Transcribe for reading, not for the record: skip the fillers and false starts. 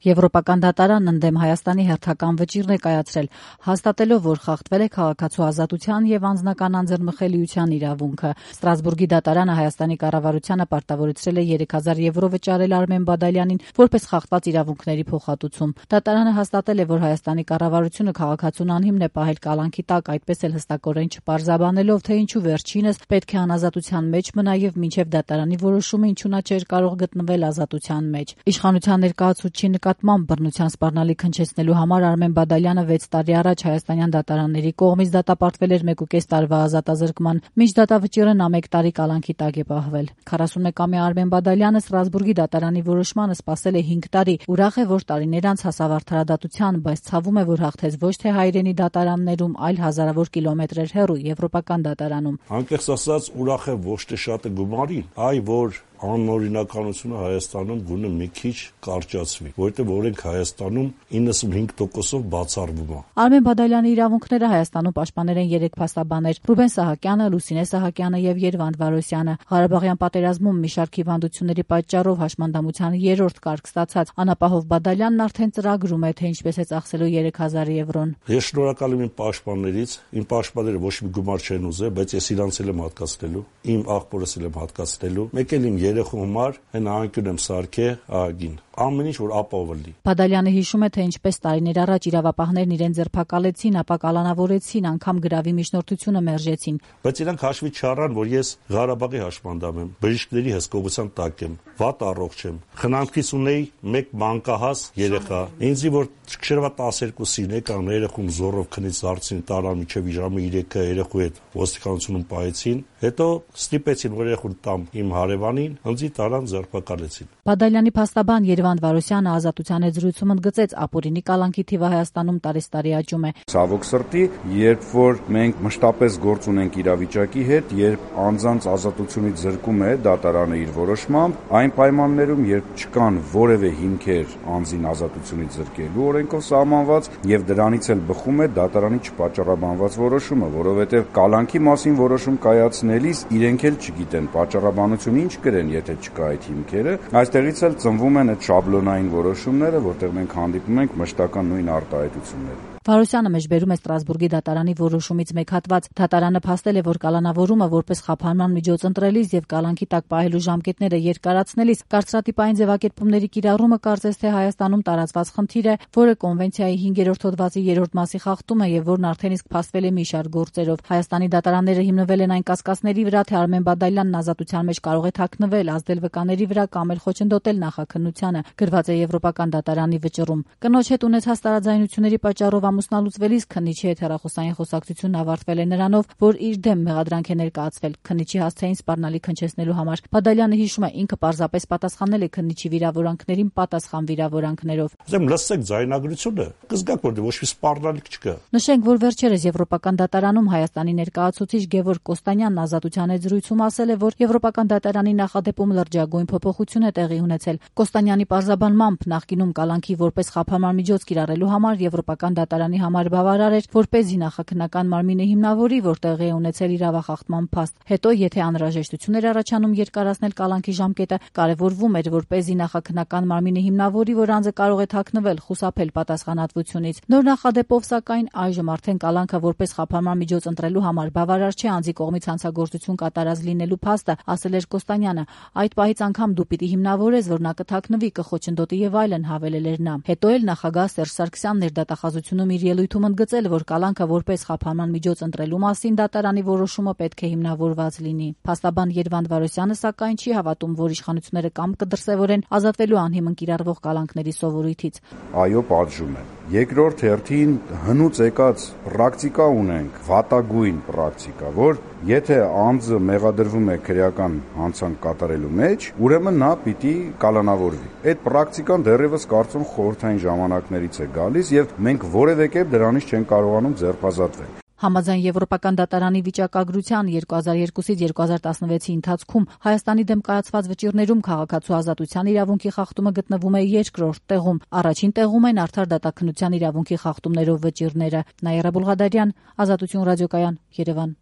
Եվրոպական դատարանն ընդդեմ Հայաստանի հերթական վճիռ է կայացրել, հաստատելով, որ խախտվել է քաղաքացու ազատության եւ անձնական անձեռնմխելիության իրավունքը։ Ստրասբուրգի դատարանը Հայաստանի կառավարությանը պարտավորեցրել է 3000 եվրո վճարել Արմեն Բադալյանին որպես խախտված իրավունքների փոխհատուցում։ Դատարանը հաստատել է, որ Հայաստանի կառավարությունը քաղաքացուն անհիմն է պահել կալանքի տակ, այդպես էլ հստակորեն չպարզաբանելով, թե ինչու վերջինս պետք է անազատության մեջ մնա եւ մինչեւ դատարանի որոշումը ինչու նա չէր կարող գտնվել ազատության մեջ։ Իշխանության ներկայացուցչի նկատմամբ բռնության սպառնալիք հնչեցնելու համար Արմեն Բադալյանը 6 տարի առաջ հայաստանյան դատարանների կողմից դատապարտվել էր 1.5 տարվա ազատազրկման, մինչ դատավճիռը նա 1 տարի կալանքի տակ է պահվել։ 41-ամյա Արմեն Բադալյանը Ստրասբուրգի դատարանի որոշմանը սպասել է 5 տարի։ Ուրախ է, որ տարիներ անց հասավ արդարադատության, բայց ցավում է, որ հաղթեց ոչ թե հայրենի դատարաններում, այլ հազարավոր կիլոմետրեր հեռու եվրոպական դատարանում։ Անկեղծ ասած, ուրախ է ոչ թե շատը գումարի, այլ որ անօրինականությունը Հայաստանում գոնե մի քիչ կարճացվի, որովհետև օրենք Հայաստանում 95%-ով բացառվում է։ Արմեն Բադալյանի իրավունքները Հայաստանում պաշտպանել են 3 փաստաբաններ՝ Ռուբեն Սահակյանը, Լուսինե Սահակյանը եւ Երվանդ Վարոսյանը։ Ղարաբաղյան պատերազմում մի շարք հիվանդությունների պատճառով հաշմանդամության 3-րդ կարգ ստացած անապահով Բադալյանն արդեն ծրագրում է, թե ինչպես է ծախսելու 3000 եվրոն։ Ես շնորհակալ եմ իմ պաշտպաններից, իմ պաշտպանները ոչ մի գումար չեն ուզել, բայց ես իրանց էլ եմ հատկացնելու, իմ աղբորս էլ եմ հատկացնելու, մեկ էլ իմ երեխու համար հեն անկյուն եմ սարքել ահագին։ Ամեն ինչ որ ապահով լինի։ Բադալյանը հիշում է, թե ինչպես տարիներ առաջ իրավապահներն իրեն ձերբակալեցին, ապա կալանավորեցին, անգամ գրավի միջնորդությունը մերժեցին։ Բայց իրանք հաշվի չառան, որ ես Ղարաբաղի հաշմանդամ եմ, բժիշկների հսկողության տակ եմ, վատ առողջ եմ։ Խնամքից ունեի 1 մանկահաս երեխա։ Ինձի որ շրջերվա 12-ին եկան երեխում զորով քնից հարցին տարան մինչև ժամը 3-ը երեխու հետ ոստիկանությունում պահեցին, հետո ստիպեցին որ երեխուն տամ իմ հարևանին, ինձի տարան ձերբակալեցին։ Բադալյանի փաստաբան Երվանդ Վարոսյանը ազատության հետ զրույցում ընդգծեց, ապօրինի կալանքի թիվը Հայաստանում տարեստարի աճում է։ Ցավոք սրտի, երբ որ մենք մշտապես գործ ունենք իրավիճակի հետ, երբ անձանց ազատությունից զրկում է դատարանը իր որոշմամբ, այն պայմաններում, երբ չկան որևէ հիմքեր անձին ազատությունից զրկելու օրենքով սահմանված եւ դրանից էլ բխում է դատարանի չպատճառաբանված որոշումը, որովհետեւ կալանքի մասին որոշում կայացնելիս իրենք էլ չգիտեն պատճառաբանություն ինչ կրեն, եթե չկա այդ հիմքերը, այստեղից էլ ծնվում են այդ շաբլոնային որոշումները, որտեղ մենք հանդիպում ենք մշտական նույն արտահայտությունները։ Վարոսյանը մեջբերում է Ստրասբուրգի դատարանի որոշումից մեկ հատված։ Դատարանը փաստել է, որ կալանավորումը որպես խափանման միջոց ընտրելիս եւ կալանքի տակ պահելու ժամկետները երկարացնելիս կարծրատիպային ձևակերպումների կիրառումը կարծես թե Հայաստանում տարածված խնդիր է, որը կոնվենցիայի 5-րդ հոդվածի 3-րդ մասի խախտում է եւ որն արդեն իսկ փաստվել է մի շարք գործերով։ Հայաստանի դատարանները հիմնվել են այն կասկածների վրա, թե Արմեն Բադալյանն ազատության մեջ կարող է թաքնվել, ազդել վկաների վրա կամ էլ խոչընդոտել նախաքննությանը, գրված է Եվրոպական դատարանի վճռում։ Կնոջ հետ ունեցած տարաձայնությունների պատճառով ամուսնալուծվելիս քննիչի հետ հեռախոսային խոսակցությունն ավարտվել է նրանով, որ իր դեմ մեղադրանք է ներկայացվել քննիչի հասցեին սպառնալիք հնչեցնելու համար։ Բադալյանը հիշում է, ինքը պարզապես պատասխանել է քննիչի վիրավորանքներին պատասխան վիրավորանքներով։ Ուզեմ լսեք ձայնագրությունը, կզգաք որ ոչ մի սպառնալիք չկա։ Նշենք, որ վերջերս Եվրոպական դատարանում Հայաստանի ներկայացուցիչ Գևորգ Կոստանյանն ազատության հետ զրույցում ասել է, որ Եվրոպական դատարանի նախադեպում լրջագույն փոփոխություն է տեղի ունեցել։ Կոստանյանի պարզաբանմամբ նախկինում կալանքի որպես խափանման միջոց կիրառելու համար Եվրոպական դատարանի համար բավարար էր, որպեսզի նախաքննական մարմինը հիմնավորի, որ տեղի է ունեցել իրավախախտման փաստ։ Հետո, եթե անհրաժեշտություն էր առաջանում երկարացնել կալանքի ժամկետը, կարևորվում էր, որպեսզի նախաքննական մարմինը հիմնավորի, որ անձը կարող է թաքնվել, խուսափել պատասխանատվությունից։ Նոր նախադեպով, սակայն, այժմ արդեն կալանքը որպես խափանման միջոց ընտրելու համար բավարար չէ անձի կողմից հանցագործություն կատարած լինելու փաստը, ասել էր Կոստանյանը։ Այդ պահից անգամ դու պիտի հիմնավորես, որ նա կթաքնվի, կխոչընդոտի եւ այլն, հավելել էր նա։ Հետո էլ նախագահ Սերժ Սարգսյանն էր դատախազությունում իր ելույթում ընդգծել, որ կալանքը որպես խափանման միջոց ընտրելու մասին դատարանի որոշումը պետք է հիմնավորված լինի։ Փաստաբան Երվանդ Վարոսյանը սակայն չի հավատում, որ իշխանությունները կամ կդրսևորեն ազատվելու անհիմն կիրառվող կալանքների սովորույթից։ Այո, պատժում են։ Երկրորդ հերթին հնուց եկած պրակտիկա ունենք, վատագույն պրակտիկա, որ եթե անձը մեղադրվում է քրեական հանցանք կատարելու մեջ, ուրեմն նա պիտի կալանավորվի։ Այդ պրակտիկան դեռևս կարծում խորհրդային ժամանակներից է գալիս եւ մենք որևէ կերպ դրանից չեն կարողանում ձերբազատվել։ Համաձայն Եվրոպական դատարանի վիճակագրության 2002-ից 2016-ի ընթացքում Հայաստանի դեմ կայացված վճիռներում քաղաքացու ազատության իրավունքի խախտումը գտնվում է 2-րդ տեղում։ Առաջին տեղում են արդար դատաքննության իրավունքի խախտումներով վճիռները։ Նաիրա Բուլղադարյան, Ազատություն ռադիոկայան, Երևան։